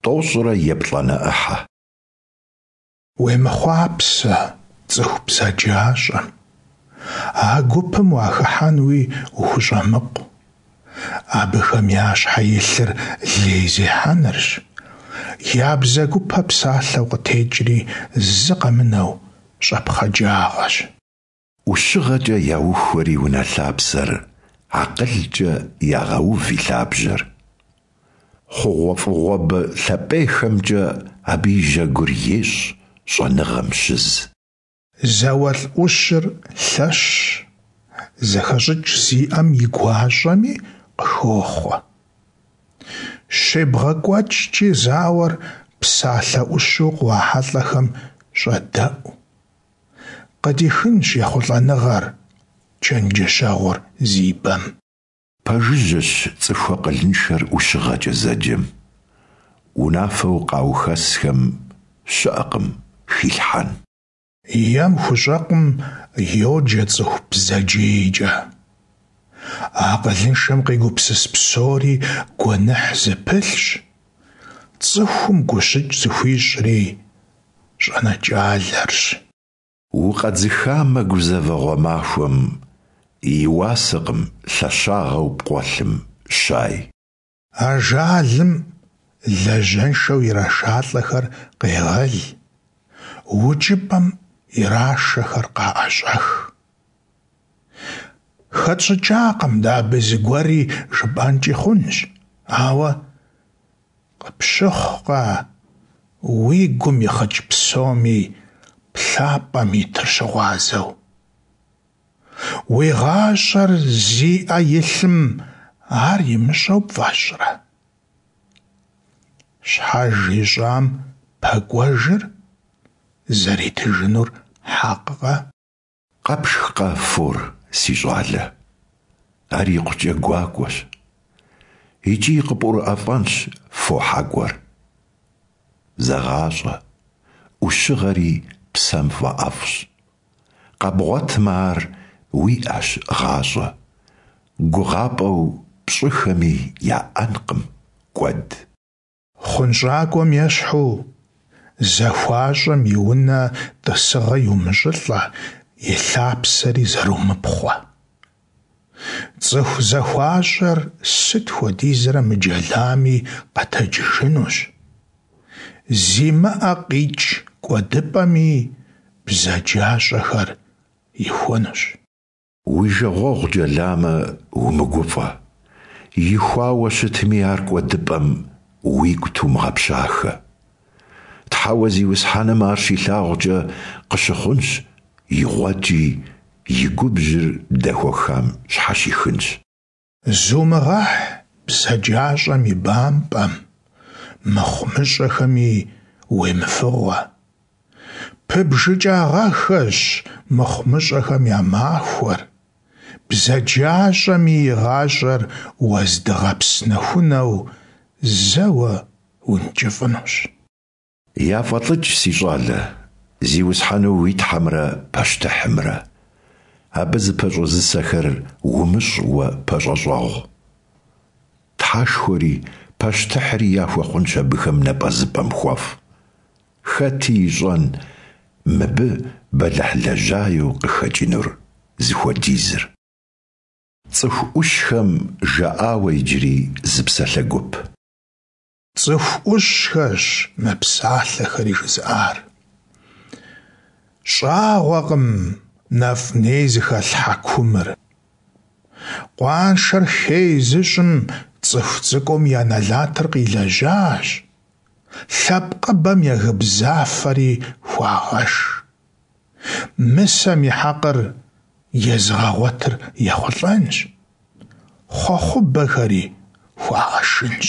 Тӏощӏрэ еплӏанэ ӏыхьэ. Уемыхъуапсэ цӏыху бзаджащӏэм, а гупым уахыхьэнуи ухущӏэмыкъу. Абыхэм я щхьэ илъыр лей зехьэнырщ, я бзэгупэ псалъэу къытекӏри зы къэмынэу щӏэпхъаджагъэщ. ӏущыгъэкӏэ яухуэри унэ лъапсэр, акъылкӏэ ягъэув и лъабжьэр. Хъугъуэфӏыгъуэбэ лъапӏейхэмкӏэ абы и жьэгур ещӏ щӏэныгъэм щыз. Зауэлӏ ӏущыр лъэщщ, зэхэщӏыкӏ зиӏэм и гуащӏэми къыхохъуэ. Щебгъэкӏуэкӏкӏи зауэр псалъэ ӏущу къыуахьэлӏэхэм щӏэдэӏу. Къыдихынщ ехъулӏэныгъэр чэнджэщэгъур зи бэм. Пэжыжьэщ цӏыху акъылыншэр ӏущыгъэкӏэ зэджэм. Унафэу къаухэсхэм щыӏэкъым хилъхьэн. Ем хущӏэкъум йоджэ цӏыху бзаджейкӏэ. Акъылыншэм къигупсыс псори гуэныхь зыпылъщ, цӏыхум гущыкӏ зыхуищӏри щӏэнэкӏалэрщ. Укъэдзыхамэ гузэвэгъуэ махуэм, и уасэкъым лъэщагъэу пкъуэлъым щай. Ажалым лажьэншэу ирашалӏэхэр къегъэл, укӏыпӏэм ирашэхэр къаӏэщӏэх. Хэтщӏыкӏакъым дэ абы зыгуэри жыпӏэнкӏи хъунщ, ауэ къыпщыхъукъэ уи гум ихъыкӏ псоми плъапӏэм итыр щыгъуазэу? Уи гъащӏэр зи ӏэ илъым ар имыщӏэу пфӏэщӏрэ? Щхьэж ищӏам пэкӏуэжыр зэритыжынур хьэкъкъэ? Къэпшхкъэ фор, си щӏалэ? Ар икъукӏэ гуакӏуэщ. Икӏи къыпӏурыӏэфӏэнщ фо хьэкӏуэр. Зэгъащӏэ, ӏущыгъэри псэм фӏэӏэфӏщ. Къэбгъуэтмэ ар, уиӏэщ гъащӏэ, гугъапӏэу пщӏыхэми яӏэнкъым кӏуэд. Хъунщӏакӏуэм ещхьу, захуащӏэм и унэ тӏысыгъэ иумыщӏылӏэ, и лъапсэри зэрумыпхъуэ. Цӏыху захуащӏэр сыт хуэдизрэ мыджэлами къэтэджыжынущ. Зимыӏэ къикӏ кӏуэдыпӏэми бзаджащӏэхэр ихуэнущ. Уи жагъуэгъу джэламэ, умыгуфӏэ, ихуауэ щытми ар кӏуэдыпӏэм уигу тумыгъэпщахэ. Тхьэуэ Зиусхьэным ар щилъагъукӏэ къыщыхъунщ, игъуэкӏи и губжьыр дэхуэхам щхьэщихынщ. Зумыгъэхь бзаджащӏэм и бампӏэм, мыхъумыщӏэхэми уемыфыгъуэ. Пыбжыкӏагъэххэщ мыхъумыщӏэхэм я махуэр, бзаджащӏэми и гъащӏэр уэздыгъэпс нэхунэу зэуэ ункӏыфӏынущ. Яфӏэлӏыкӏ, си щӏалэ, Зиусхьэну уи Тхьэмрэ пащтыхьымрэ. Абы зыпэщӏэзысэхэр умыщӏ уэ пэщӏэщӏэгъу. Тхьэшхуэри пащтыхьри яхуэхъунщ абыхэм напӏэзыпӏэм хуэфӏ. Хэти ищӏэн мыбы бэлыхьлэжьаеу къыхэкӏынур зыхуэдизыр. Цӏыху ӏущхэм жаӏауэ иджыри зы псалъэ гуп. Цӏыху ӏущхэрщ мы псалъэхэри жызыӏар. Щӏагъуэкъым нэфӏ-ней зыхэлъ хьэкумыр. Къуаншэр хей зыщӏым цӏыху цӏыкӏум я нэлатыр къилэжьащ, лъэпкъыбэм я гыбзафэри хуагъэш. Мысэм и хьэкъыр езыгъэгъуэтыр ехъулӏэнщ, хъуэхъубэхэри хуагъэшынщ.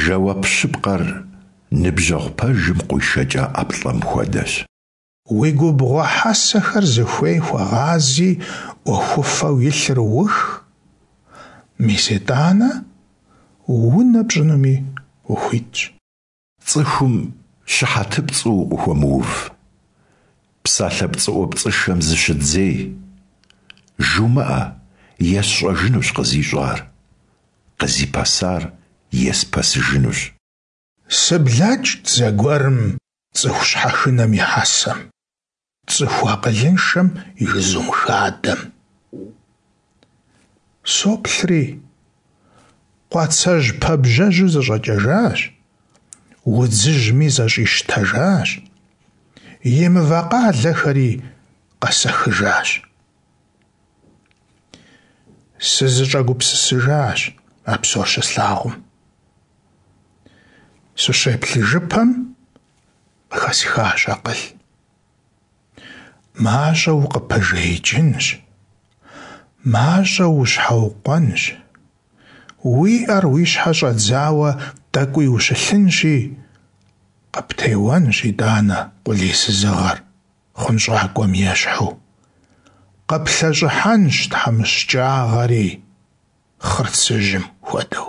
Жэуап щыпкъэр ныбжьэгъу пэжым къуишэкӏа ӏэплӏэм хуэдэщ. Уи губгъуэ хьэсэхэр зыхуей хуэгъази, ӏуэхуфэу илъыр ух, мис итӏанэ унэ пщӏынуми ухуитщ. Цӏыхум щыхьэтыпцӏу укъыхуэмыув. Псалъэ пцӏыӏуэпцӏышэм зыщыдзей. Жумыӏэ, есщӏэжынущ къызищӏар, къызипэсар еспэсыжынущ. Сыблэкӏт зэгуэрым цӏыху щхьэхынэм и хьэсэм, цӏыху акъылыншэм и жызум хадэм. Соплъри, къуацэжь пэбжьэжьу зэщӏэкӏэжащ, удзыжьми зэщӏищтэжащ, и мывэ къалэхэри къэсэхыжащ. Сызэщӏэгупсысыжащ а псор щыслъагъум. Сыщеплъыжыпэм къыхэсхащ акъыл. Мащӏэу укъыпыжеикӏынщ, мащӏэу ущхьэукъуэнщ, уи ӏэр уи щхьэ щӏэдзауэ тӏэкӏуи ущылъынщи, къыптеуэнщ итӏанэ къулейсызыгъэр, хъунщӏакӏуэм ещхьу. Къыплъэщӏыхьэнщ тхьэмыщкӏагъэри, хъырцыжьым хуэдэу.